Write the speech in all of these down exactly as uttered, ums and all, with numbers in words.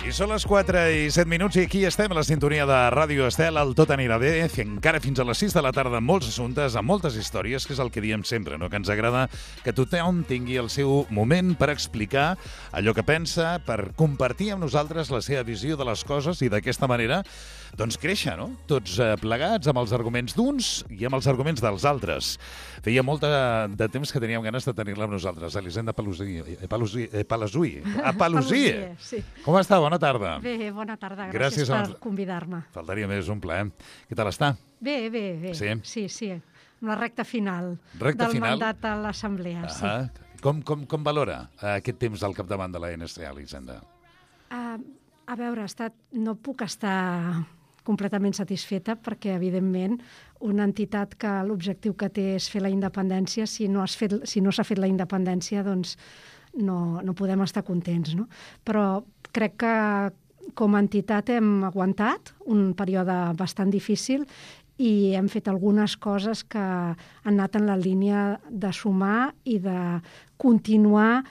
I són les quatre i set minuts i aquí estem a la sintonia de Ràdio Estel, el Tot anirà bé, encara fins a les sis de la tarda amb molts assumptes, amb moltes històries, que és el que diem sempre, no? Que ens agrada que tothom tingui el seu moment per explicar allò que pensa, per compartir amb nosaltres la seva visió de les coses i d'aquesta manera doncs créixer, no? Tots plegats amb els arguments d'uns i amb els arguments dels altres. Feia molt de temps que teníem ganes de tenir-la amb nosaltres, Elisenda Palusí, Palusí, Palasui, a Palusí. Sí. Com està? Bona tarda. Bé, bona tarda. Gràcies, Gràcies per convidar-me. Faltaria més, un plaer. Què tal està? Bé, bé, bé. Sí? Sí, sí. Amb la recta final recta del final? mandat a l'Assemblea. Uh sí. -huh. Com, com, com valora uh, aquest temps al capdavant de la N S A, Elisenda? Uh, a veure, ha estat... no puc estar completament satisfeta perquè, evidentment, una entitat que l'objectiu que té és fer la independència, si no has fet, si no s'ha fet la independència, doncs no, no podem estar contents, no? Però crec que com a entitat hem aguantat un període bastant difícil i hem fet algunes coses que han anat en la línia de sumar i de continuar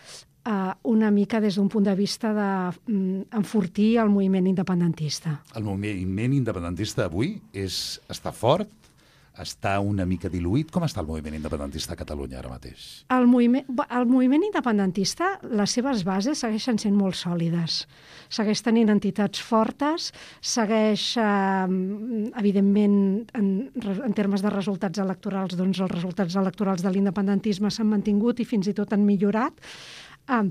Uh, una mica des d'un punt de vista d'enfortir um, el moviment independentista. El moviment independentista avui és, està fort? Està una mica diluït? Com està el moviment independentista a Catalunya ara mateix? El moviment, el moviment independentista, les seves bases segueixen sent molt sòlides. Segueix tenint entitats fortes, segueix, eh, evidentment, en, en termes de resultats electorals, doncs els resultats electorals de l'independentisme s'han mantingut i fins i tot han millorat. Ah,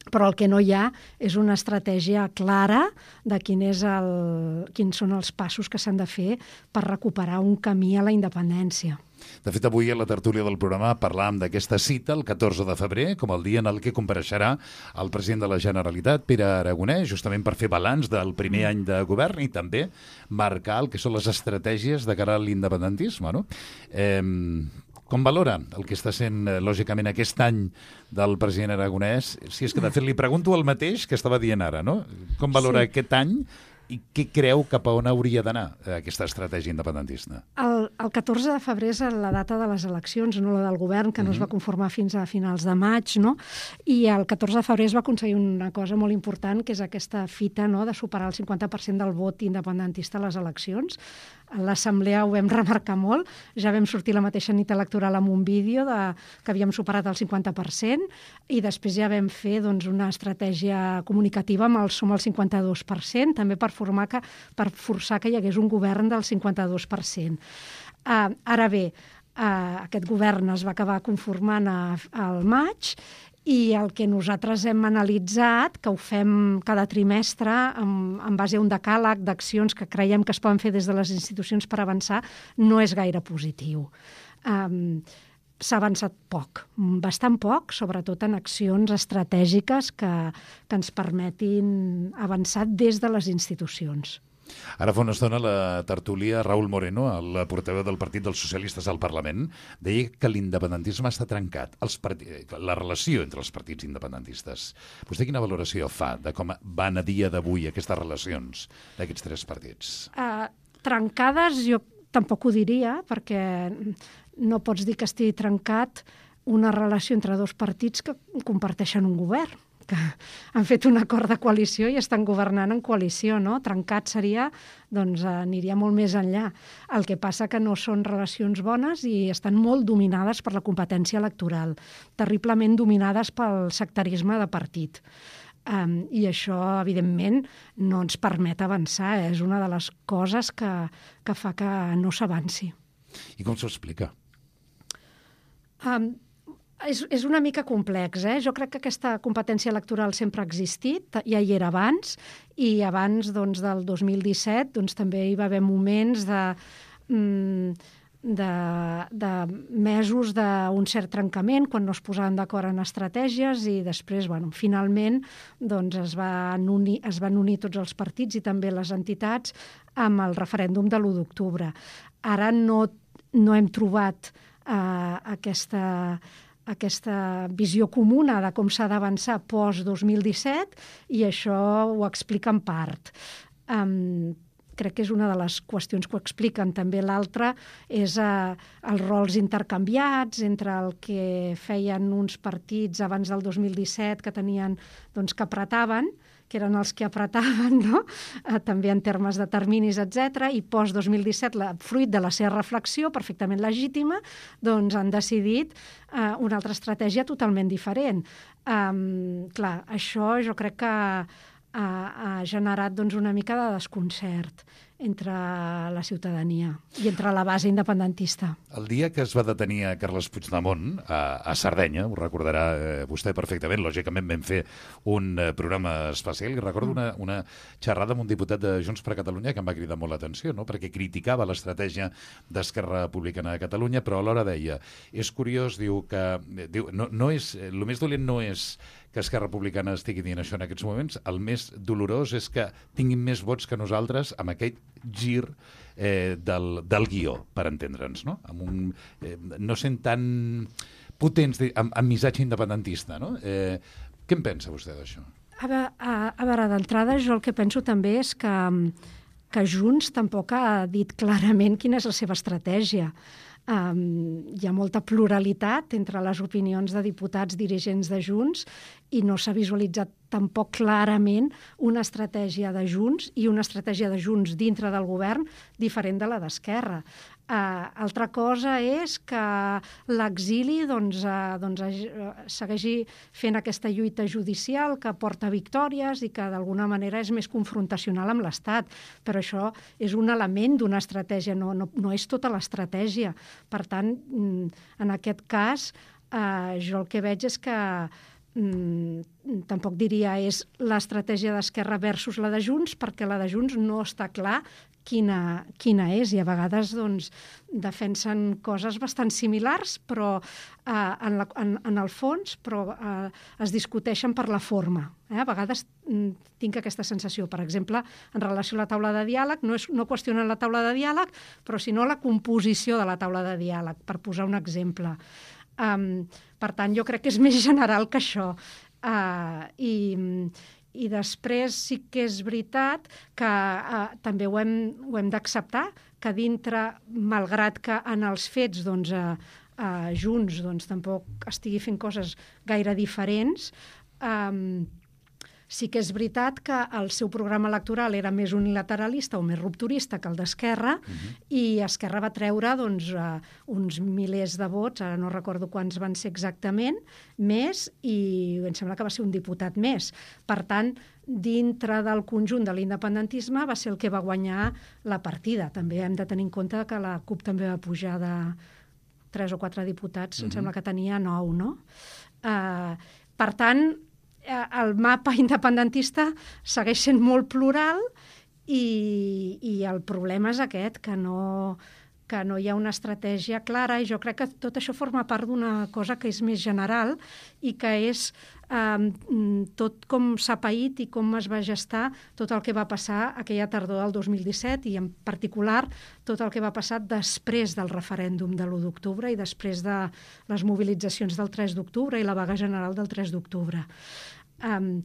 però el que no hi ha és una estratègia clara de quin és el, quins són els passos que s'han de fer per recuperar un camí a la independència. De fet, avui a la tertúlia del programa parlàvem d'aquesta cita, el catorze de febrer, com el dia en el que compareixerà el president de la Generalitat, Pere Aragonès, justament per fer balanç del primer any de govern i també marcar el que són les estratègies de cara a l'independentisme, no? Eh, Com valora el que està sent, lògicament, aquest any del president Aragonès? Si és que, de fet, li pregunto el mateix que estava dient ara, no? Com valora sí. aquest any i què creu cap a on hauria d'anar aquesta estratègia independentista? El, el catorze de febrer és la data de les eleccions, no la del govern, que no uh-huh. es va conformar fins a finals de maig, no? I el catorze de febrer es va aconseguir una cosa molt important, que és aquesta fita, no?, de superar el cinquanta per cent del vot independentista a les eleccions. A l'Assemblea ho vam remarcar molt, ja vam sortir la mateixa nit electoral amb un vídeo de, que havíem superat el cinquanta per cent i després ja vam fer doncs, una estratègia comunicativa amb el som al cinquanta-dos per cent, també per, formar que, per forçar que hi hagués un govern del cinquanta-dos per cent. Uh, ara bé, uh, aquest govern es va acabar conformant a, al maig i el que nosaltres hem analitzat, que ho fem cada trimestre en, en base a un decàleg d'accions que creiem que es poden fer des de les institucions per avançar, no és gaire positiu. Um, s'ha avançat poc, bastant poc, sobretot en accions estratègiques que, que ens permetin avançar des de les institucions. Ara fa una estona la tertúlia Raúl Moreno, el portaveu del Partit dels Socialistes al Parlament, deia que l'independentisme està trencat, els part... la relació entre els partits independentistes. Vostè quina valoració fa de com van a dia d'avui aquestes relacions d'aquests tres partits? Uh, trencades jo tampoc ho diria, perquè no pots dir que estigui trencat una relació entre dos partits que comparteixen un govern, que han fet un acord de coalició i estan governant en coalició, no? Trencat seria, doncs aniria molt més enllà. El que passa que no són relacions bones i estan molt dominades per la competència electoral, terriblement dominades pel sectarisme de partit. Um, I això, evidentment, no ens permet avançar. És una de les coses que, que fa que no s'avanci. I com s'ho explica? Um, És, és una mica complex, eh? Jo crec que aquesta competència electoral sempre ha existit, ja hi era abans, i abans doncs, del dos mil disset doncs, també hi va haver moments de, de, de mesos d'un cert trencament, quan no es posaven d'acord en estratègies, i després, bueno, finalment, doncs, es, van unir, es van unir tots els partits i també les entitats amb el referèndum de l'u d'octubre. Ara no, no hem trobat eh, aquesta... aquesta visió comuna de com s'ha d'avançar post dos mil disset i això ho explica en part. Um, crec que és una de les qüestions que ho expliquen. També l'altra és eh, els rols intercanviats entre el que feien uns partits abans del dos mil disset que tenien, doncs, que apretaven, que eren els que apretaven, no? eh, també en termes de terminis, etcètera, i post dos mil disset, la, fruit de la seva reflexió, perfectament legítima, doncs han decidit eh, una altra estratègia totalment diferent. Um, clar, això jo crec que ha, ha generat, doncs, una mica de desconcert entre la ciutadania i entre la base independentista. El dia que es va detenir a Carles Puigdemont, a, a Sardenya, ho recordarà eh, vostè perfectament, lògicament vam fer un eh, programa especial, i recordo una, una xerrada amb un diputat de Junts per Catalunya que em va cridar molt l'atenció, no? Perquè criticava l'estratègia d'Esquerra Republicana de Catalunya, però alhora deia, és curiós, diu que diu, no, no és, el més dolent no és que Esquerra Republicana estigui dient això en aquests moments, el més dolorós és que tinguin més vots que nosaltres amb aquest gir eh, del, del guió, per entendre'ns, no? Amb un, eh, no sent tan potents amb, amb missatge independentista, no? Eh, què en pensa vostè d'això? A, a, a veure, d'entrada, jo el que penso també és que, que Junts tampoc ha dit clarament quina és la seva estratègia. Um, hi ha molta pluralitat entre les opinions de diputats dirigents de Junts i no s'ha visualitzat tampoc clarament una estratègia de Junts i una estratègia de Junts dintre del govern diferent de la d'Esquerra. Uh, altra cosa és que l'exili doncs, uh, doncs, uh, segueixi fent aquesta lluita judicial que porta victòries i que d'alguna manera és més confrontacional amb l'Estat. Però això és un element d'una estratègia, no, no, no és tota l'estratègia. Per tant, en aquest cas, uh, jo el que veig és que mm, tampoc diria és l'estratègia d'Esquerra versus la de Junts, perquè la de Junts no està clar quina, quina és, i a vegades doncs, defensen coses bastant similars, però eh, en, la, en, en el fons però, eh, es discuteixen per la forma. Eh? A vegades mm, tinc aquesta sensació. Per exemple, en relació a la taula de diàleg, no, és, no qüestionen la taula de diàleg, però sinó la composició de la taula de diàleg, per posar un exemple. Um, per tant, jo crec que és més general que això. Uh, i, I després sí que és veritat que uh, també ho hem, ho hem d'acceptar, que dintre, malgrat que en els fets doncs, uh, uh, Junts doncs, tampoc estigui fent coses gaire diferents, um, sí que és veritat que el seu programa electoral era més unilateralista o més rupturista que el d'Esquerra, uh-huh. i Esquerra va treure doncs, uh, uns milers de vots, ara no recordo quants van ser exactament, més, i em sembla que va ser un diputat més. Per tant, dintre del conjunt de l'independentisme va ser el que va guanyar la partida. També hem de tenir en compte que la CUP també va pujar de tres o quatre diputats, uh-huh. em sembla que tenia nou, no? Uh, per tant, el mapa independentista segueix sent molt plural i, i el problema és aquest, que no, que no hi ha una estratègia clara, i jo crec que tot això forma part d'una cosa que és més general i que és eh, tot com s'ha paït i com es va gestar tot el que va passar aquella tardor del dos mil disset, i en particular tot el que va passar després del referèndum de l'u d'octubre i després de les mobilitzacions del tres d'octubre i la vaga general del tres d'octubre. Um,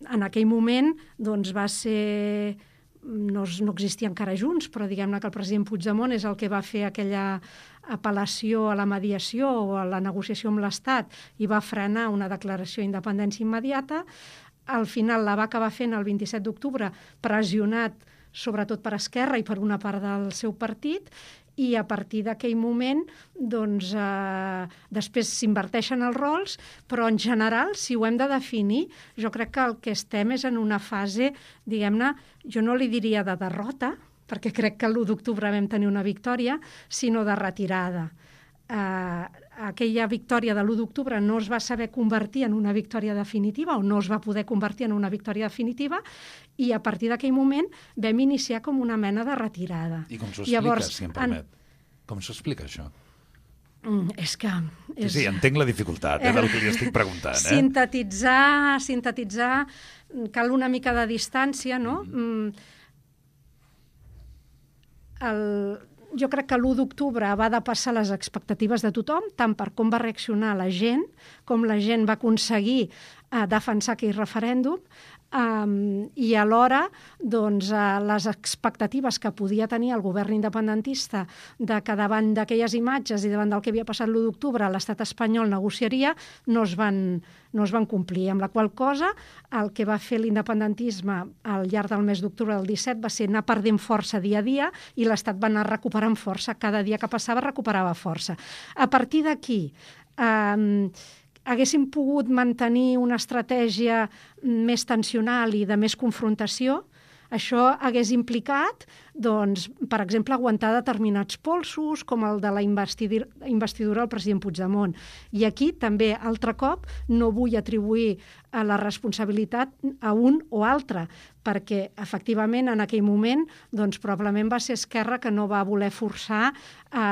en aquell moment doncs, va ser... No, no existia encara Junts, però diguem-ne que el president Puigdemont és el que va fer aquella apel·lació a la mediació o a la negociació amb l'Estat i va frenar una declaració d'independència immediata. Al final la va acabar fent el vint-i-set d'octubre, pressionat sobretot per Esquerra i per una part del seu partit, i a partir d'aquell moment doncs, eh, després s'inverteixen els rols, però en general, si ho hem de definir, jo crec que el que estem és en una fase, diguem-ne, jo no li diria de derrota, perquè crec que l'u d'octubre vam tenir una victòria, sinó de retirada. Eh, aquella victòria de l'u d'octubre no es va saber convertir en una victòria definitiva, o no es va poder convertir en una victòria definitiva, i a partir d'aquell moment vam iniciar com una mena de retirada. I com s'ho explica, Llavors, si em permet? En... Com s'ho explica, això? Mm, és que... És... Sí, sí, entenc la dificultat eh, del que li estic preguntant. Eh? Sintetitzar, sintetitzar, cal una mica de distància, no? Mm. El... Jo crec que l'u d'octubre va depassar les expectatives de tothom, tant per com va reaccionar la gent, com la gent va aconseguir a defensar aquell referèndum, Um, i alhora doncs, uh, les expectatives que podia tenir el govern independentista de que davant d'aquelles imatges i davant del que havia passat l'u d'octubre l'estat espanyol negociaria no es, van, no es van complir, amb la qual cosa el que va fer l'independentisme al llarg del mes d'octubre del disset va ser anar perdent força dia a dia i l'estat va anar recuperant força, cada dia que passava recuperava força. A partir d'aquí um, haguéssim pogut mantenir una estratègia més tensional i de més confrontació, això hagués implicat, doncs, per exemple, aguantar determinats polsos, com el de la investidura, investidura al president Puigdemont. I aquí també, altre cop, no vull atribuir a la responsabilitat a un o altre, perquè, efectivament, en aquell moment, doncs, probablement va ser Esquerra que no va voler forçar a...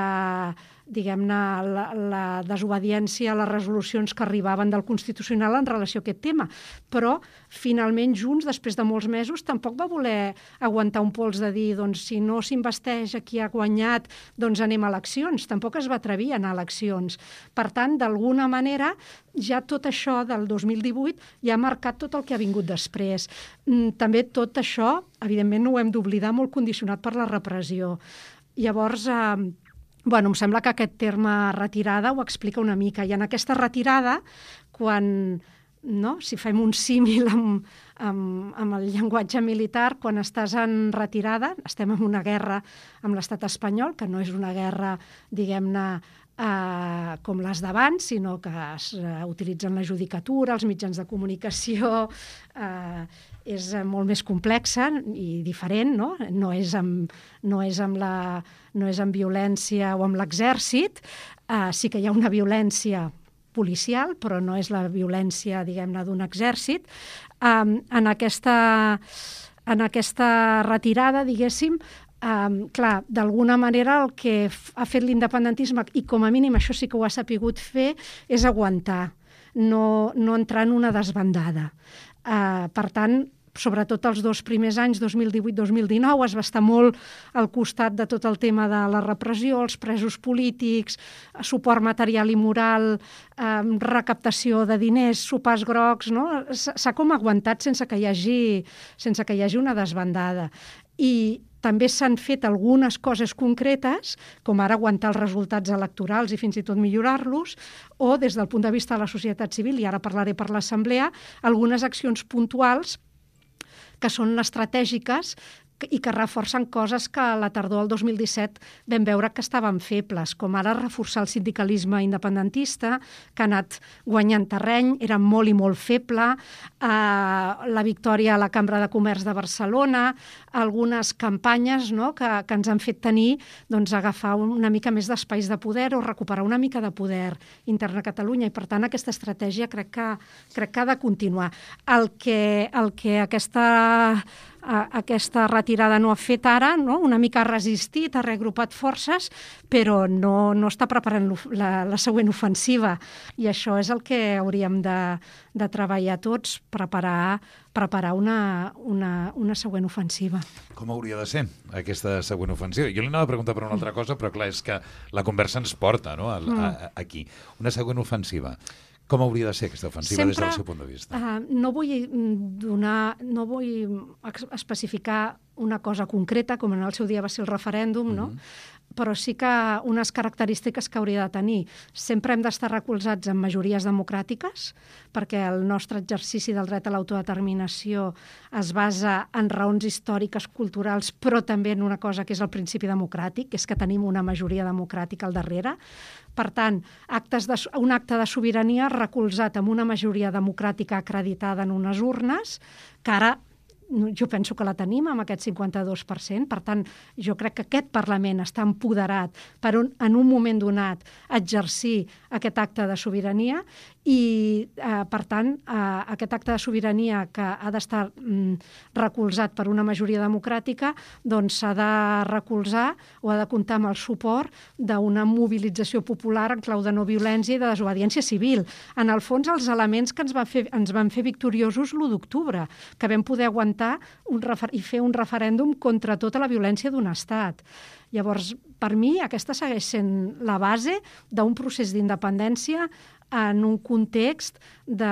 Eh, diguem-ne, la, la desobediència a les resolucions que arribaven del Constitucional en relació a aquest tema. Però, finalment, Junts, després de molts mesos, tampoc va voler aguantar un pols de dir, doncs, si no s'investeix a qui ha guanyat, doncs anem a eleccions. Tampoc es va atrevir a anar a eleccions. Per tant, d'alguna manera, ja tot això del dos mil divuit ja ha marcat tot el que ha vingut després. També tot això, evidentment, no ho hem d'oblidar, molt condicionat per la repressió. Llavors, eh, Bueno, em sembla que aquest terme retirada ho explica una mica. I en aquesta retirada, quan, no, si fem un símil amb, amb, amb el llenguatge militar, quan estàs en retirada, estem en una guerra amb l'estat espanyol, que no és una guerra, diguem-ne, eh, com les d'abans, sinó que es eh, utilitzen la judicatura, els mitjans de comunicació... Eh, és molt més complexa i diferent, no? No és amb, no és amb, la, no és amb violència o amb l'exèrcit. Uh, sí que hi ha una violència policial, però no és la violència, diguem-ne, d'un exèrcit. Um, en, aquesta, en aquesta retirada, diguéssim, um, clar, d'alguna manera el que ha fet l'independentisme, i com a mínim això sí que ho ha sapigut fer, és aguantar, no, no entrar en una desbandada. Uh, per tant, sobretot els dos primers anys, dos mil divuit dos mil dinou, es va estar molt al costat de tot el tema de la repressió, els presos polítics, suport material i moral, eh, recaptació de diners, sopars grocs, no? S'ha com aguantat sense que hi hagi, sense que hi hagi una desbandada. I també s'han fet algunes coses concretes, com ara aguantar els resultats electorals i fins i tot millorar-los, o des del punt de vista de la societat civil, i ara parlaré per l'Assemblea, algunes accions puntuals que són estratègiques i que reforcen coses que a la tardor del dos mil disset vam veure que estaven febles, com ara reforçar el sindicalisme independentista, que ha anat guanyant terreny, era molt i molt feble, eh, la victòria a la Cambra de Comerç de Barcelona, algunes campanyes, no?, que, que ens han fet tenir, doncs, agafar una mica més d'espais de poder o recuperar una mica de poder intern a Catalunya, i per tant aquesta estratègia crec que, crec que ha de continuar. El que, el que aquesta... aquesta retirada no ha fet ara, no? Una mica ha resistit, ha reagrupat forces, però no, no està preparant la, la següent ofensiva. I això és el que hauríem de, de treballar tots, preparar, preparar una, una, una següent ofensiva. Com hauria de ser aquesta següent ofensiva? Jo li anava a preguntar per una altra cosa, però clar, és que la conversa ens porta, no?, a, a, aquí. Una següent ofensiva. Com hauria de ser aquesta ofensiva Sempre, des del seu punt de vista? Uh, no vull donar, no vull especificar una cosa concreta, com en el seu dia va ser el referèndum, mm-hmm. no? Però sí que unes característiques que hauria de tenir. Sempre hem d'estar recolzats en majories democràtiques, perquè el nostre exercici del dret a l'autodeterminació es basa en raons històriques, culturals, però també en una cosa que és el principi democràtic, que és que tenim una majoria democràtica al darrere. Per tant, actes de, un acte de sobirania recolzat amb una majoria democràtica acreditada en unes urnes, que ara jo penso que la tenim amb aquest cinquanta-dos per cent. Per tant, jo crec que aquest Parlament està empoderat per un, en un moment donat exercir aquest acte de sobirania i, eh, per tant, eh, aquest acte de sobirania que ha d'estar mm, recolzat per una majoria democràtica, doncs s'ha de recolzar o ha de comptar amb el suport d'una mobilització popular en clau de no violència i de desobediència civil. En el fons, els elements que ens van fer, ens van fer victoriosos l'u d'octubre, que vam poder aguantar un refer- i fer un referèndum contra tota la violència d'un estat. Llavors, per mi, aquesta segueix sent la base d'un procés d'independència en un context, de,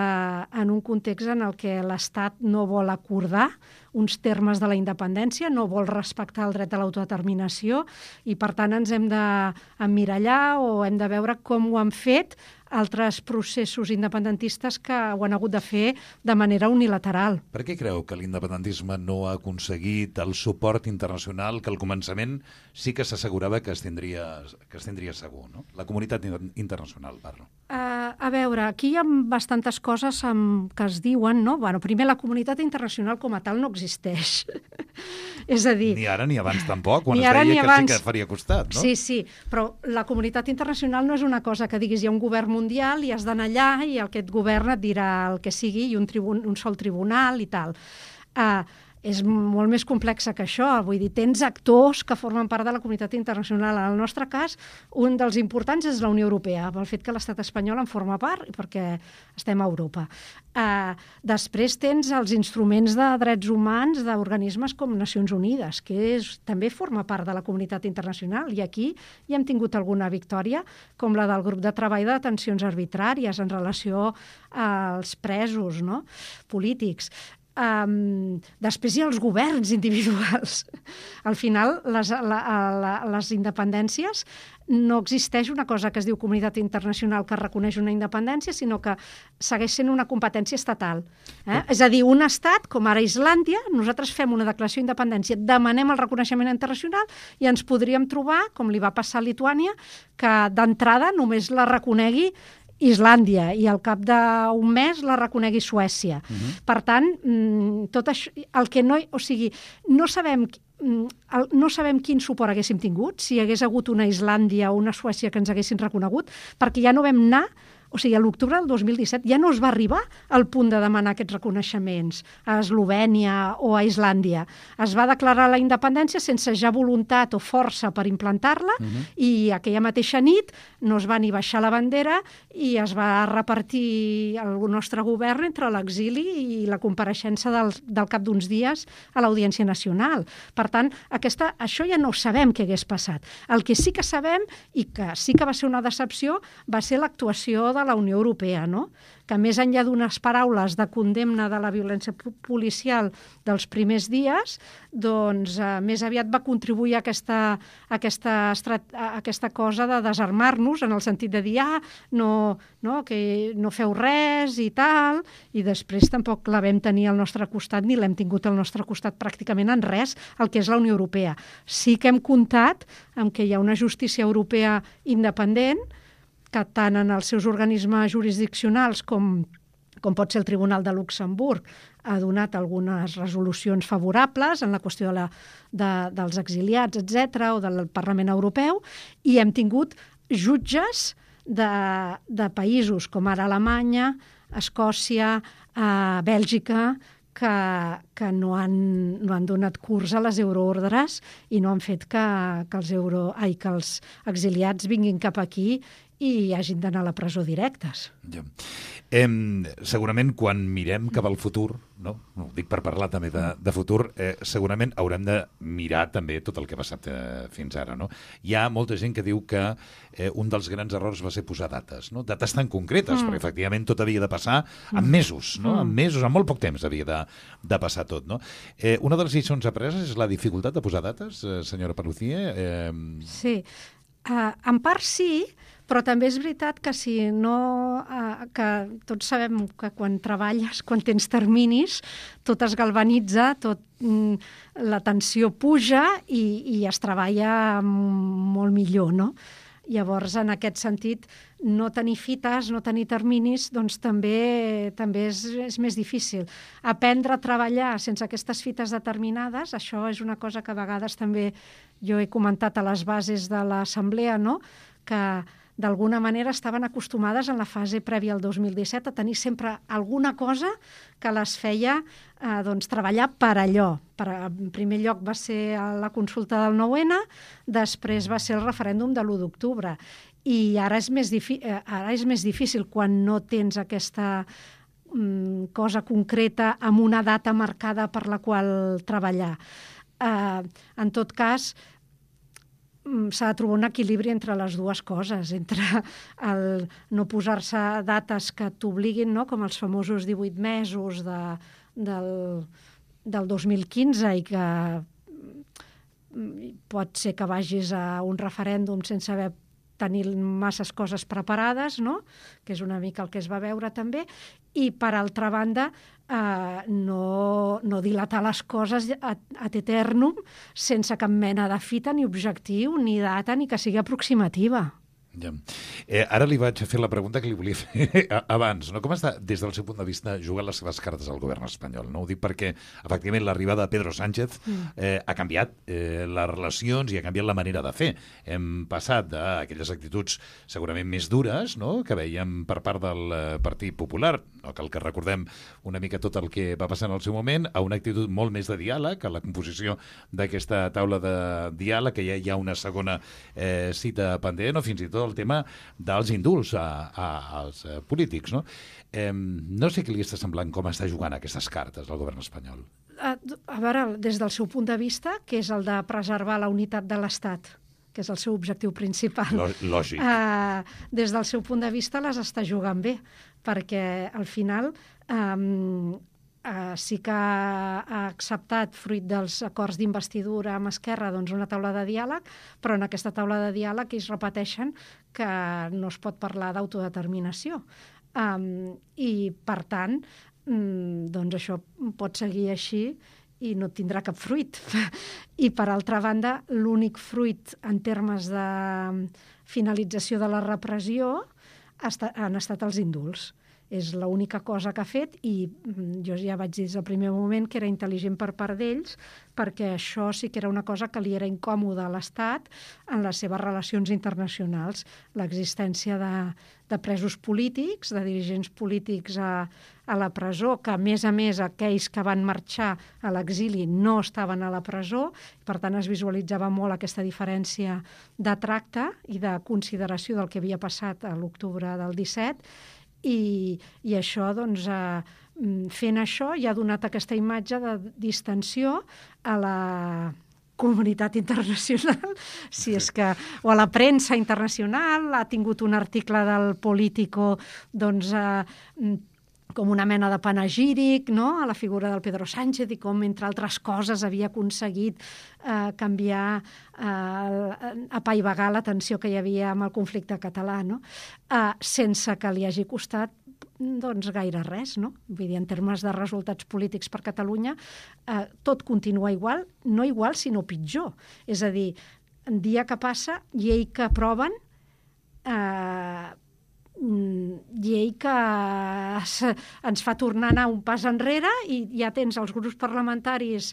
en un context en el què l'Estat no vol acordar uns termes de la independència, no vol respectar el dret a l'autodeterminació i, per tant, ens hem d'emmirallar o hem de veure com ho han fet altres processos independentistes que ho han hagut de fer de manera unilateral. Per què creu que l'independentisme no ha aconseguit el suport internacional que al començament sí que s'assegurava que es tindria, que es tindria segur, no? La comunitat internacional, parlo. Uh, a veure, aquí hi ha bastantes coses amb, que es diuen, no? Bueno, primer, la comunitat internacional com a tal no existeix. És a dir... Ni ara ni abans tampoc, quan ni es ara, deia que abans. sí que faria costat, no? Sí, sí, però la comunitat internacional no és una cosa que diguis hi ha un govern mundial i has d'anar allà i aquest govern et dirà el que sigui i un, tribun un sol tribunal i tal. Uh, és molt més complexa que això. Vull dir, tens actors que formen part de la comunitat internacional. En el nostre cas, un dels importants és la Unió Europea, pel fet que l'estat espanyol en forma part i perquè estem a Europa. Uh, després tens els instruments de drets humans d'organismes com Nacions Unides, que és, també forma part de la comunitat internacional, i aquí hi hem tingut alguna victòria, com la del grup de treball de detencions arbitràries en relació als presos, no?, polítics. Um, després hi ha els governs individuals. Al final, les, la, la, les independències, no existeix una cosa que es diu comunitat internacional que reconeix una independència, sinó que segueix sent una competència estatal. Eh? És a dir, un estat, com ara Islàndia, nosaltres fem una declaració d'independència, demanem el reconeixement internacional i ens podríem trobar, com li va passar a Lituània, que d'entrada només la reconegui Islàndia i al cap d'un mes la reconegui Suècia. Uh-huh. Per tant, tot això, el que no, o sigui, no sabem, no sabem quin suport haguéssim tingut, si hi hagués hagut una Islàndia o una Suècia que ens haguessin reconegut, perquè ja no vam anar. O sigui, a l'octubre del dos mil disset ja no es va arribar al punt de demanar aquests reconeixements a Eslovènia o a Islàndia. Es va declarar la independència sense ja voluntat o força per implantar-la, uh-huh. i aquella mateixa nit no es va ni baixar la bandera i es va repartir el nostre govern entre l'exili i la compareixença del, del cap d'uns dies a l'Audiència Nacional. Per tant, aquesta, això ja no sabem què hagués passat. El que sí que sabem, i que sí que va ser una decepció, va ser l'actuació de de la Unió Europea, no? Que més enllà d'unes paraules de condemna de la violència policial dels primers dies, doncs eh, més aviat va contribuir a aquesta, a aquesta, a aquesta cosa de desarmar-nos, en el sentit de dir, ah, no, no, que no feu res i tal, i després tampoc la vam tenir al nostre costat, ni l'hem tingut al nostre costat pràcticament en res, el que és la Unió Europea. Sí que hem comptat amb que hi ha una justícia europea independent, que tant en els seus organismes jurisdiccionals com, com pot ser el Tribunal de Luxemburg ha donat algunes resolucions favorables en la qüestió de la, de, dels exiliats, etcètera, o del Parlament Europeu, i hem tingut jutges de, de països com ara Alemanya, Escòcia, eh, Bèlgica, que, que no, han, no han donat curs a les euroordres i no han fet que, que, els euro, ai, que els exiliats vinguin cap aquí i hagin d'anar a la presó directes. Ja. Eh, segurament quan mirem cap al futur, no? Ho dic per parlar també de, de futur, eh, segurament haurem de mirar també tot el que ha passat eh, fins ara, no? Hi ha molta gent que diu que eh, un dels grans errors va ser posar dates, no? Dates tan concretes, mm. perquè efectivament tot havia de passar en mesos, no? Mm. En mesos, en molt poc temps havia de, de passar tot, no? Eh, una de les lliçons apreses és la dificultat de posar dates, eh, senyora Paluzie? Eh... Sí, uh, en part sí, però també és veritat que si no, eh, que tots sabem que quan treballes, quan tens terminis, tot es galvanitza, tot, mm, la tensió puja i, i es treballa molt millor, no? Llavors, en aquest sentit, no tenir fites, no tenir terminis, doncs també, també és, és més difícil. Aprendre a treballar sense aquestes fites determinades, això és una cosa que a vegades també jo he comentat a les bases de l'assemblea, no? Que d'alguna manera estaven acostumades en la fase prèvia al dos mil disset a tenir sempre alguna cosa que les feia eh, doncs, treballar per allò. Per, en primer lloc va ser la consulta del nou ene, després va ser el referèndum de l'u d'octubre. I ara és més, ara és més difícil quan no tens aquesta mm, cosa concreta amb una data marcada per la qual treballar. Eh, en tot cas, s'ha de trobar un equilibri entre les dues coses, entre el no posar-se dates que t'obliguin, no? Com els famosos divuit mesos de, del, del dos mil quinze i que pot ser que vagis a un referèndum sense haver tenir masses coses preparades, no? Que és una mica el que es va veure també, i per altra banda eh, no, no dilatar les coses ad, ad eternum sense cap mena de fita ni objectiu, ni data, ni que sigui aproximativa. Ja. Eh, ara li vaig a fer la pregunta que li volia fer abans, no? Com està, des del seu punt de vista, jugant les seves cartes al govern espanyol? No? Ho dic perquè, efectivament, l'arribada de Pedro Sánchez eh, ha canviat eh, les relacions i ha canviat la manera de fer. Hem passat d'aquelles actituds segurament més dures, no?, que veiem per part del eh, Partit Popular, no cal que recordem una mica tot el que va passar en el seu moment, a una actitud molt més de diàleg, a la composició d'aquesta taula de diàleg, que ja hi ha una segona eh, cita pendent, o fins i tot el tema dels indults a, a, als a polítics, no? Eh, no sé què li està semblant com està jugant aquestes cartes al govern espanyol. A, a veure, des del seu punt de vista, que és el de preservar la unitat de l'Estat, que és el seu objectiu principal. Lògic. Uh, des del seu punt de vista les està jugant bé, perquè al final um, Uh, sí que ha acceptat, fruit dels acords d'investidura amb Esquerra, doncs una taula de diàleg, però en aquesta taula de diàleg ells repeteixen que no es pot parlar d'autodeterminació. Um, I, per tant, um, doncs això pot seguir així i no tindrà cap fruit. I, per altra banda, l'únic fruit en termes de finalització de la repressió han estat els indults. És l'única cosa que ha fet i jo ja vaig dir des del primer moment que era intel·ligent per part d'ells, perquè això sí que era una cosa que li era incòmoda a l'Estat en les seves relacions internacionals. L'existència de, de presos polítics, de dirigents polítics a, a la presó, que a més a més aquells que van marxar a l'exili no estaven a la presó, per tant es visualitzava molt aquesta diferència de tracte i de consideració del que havia passat a l'octubre del disset. I, i això, doncs, eh, fent això, ja ha donat aquesta imatge de distensió a la comunitat internacional, si és que, o a la premsa internacional. Ha tingut un article del Político, doncs, eh, com una mena de panegíric, no?, a la figura del Pedro Sánchez i com, entre altres coses, havia aconseguit eh, canviar, eh, apaivagar la tensió que hi havia amb el conflicte català, no?, eh, sense que li hagi costat doncs gaire res, no? Vull dir, en termes de resultats polítics per Catalunya, eh, tot continua igual, no igual, sinó pitjor. És a dir, dia que passa, llei que aproven, eh, llei que ens fa tornar a anar un pas enrere i ja tens els grups parlamentaris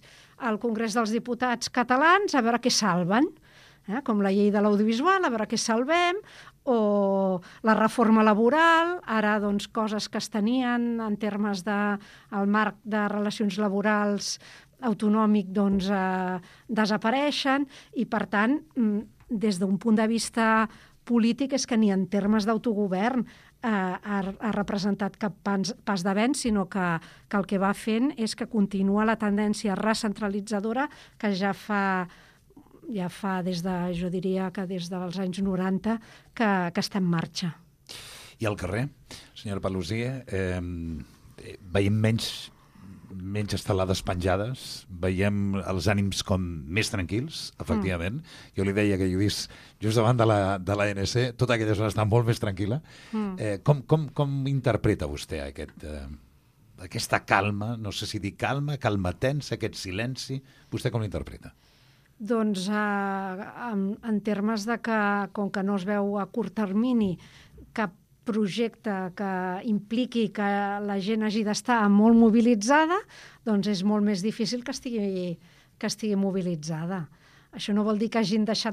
al Congrés dels Diputats catalans a veure què salven, eh? Com la llei de l'audiovisual, a veure què salvem, o la reforma laboral, ara doncs coses que es tenien en termes del marc de relacions laborals autonòmic doncs eh, desapareixen i per tant des d'un punt de vista polític és que ni en termes d'autogovern eh, ha, ha representat cap pas, pas d'avenç, sinó que, que el que va fent és que continua la tendència recentralitzadora que ja fa, ja fa des de, jo diria que des dels anys noranta, que, que està en marxa. I al carrer, senyora Paluzie, eh, veiem menys menys estelades penjades, veiem els ànims com més tranquils, efectivament. Mm. Jo li deia que jo he vist just davant de la, de l'A N C, tota aquella zona està molt més tranquil·la. Mm. Eh, com, com, com interpreta vostè aquest, eh, aquesta calma, no sé si dir calma, calma tensa, aquest silenci, vostè com l'interpreta? Doncs eh, en, en termes de que, com que no es veu a curt termini cap projecte que impliqui que la gent hagi d'estar molt mobilitzada, doncs és molt més difícil que estigui, que estigui mobilitzada. Això no vol dir que hagin deixat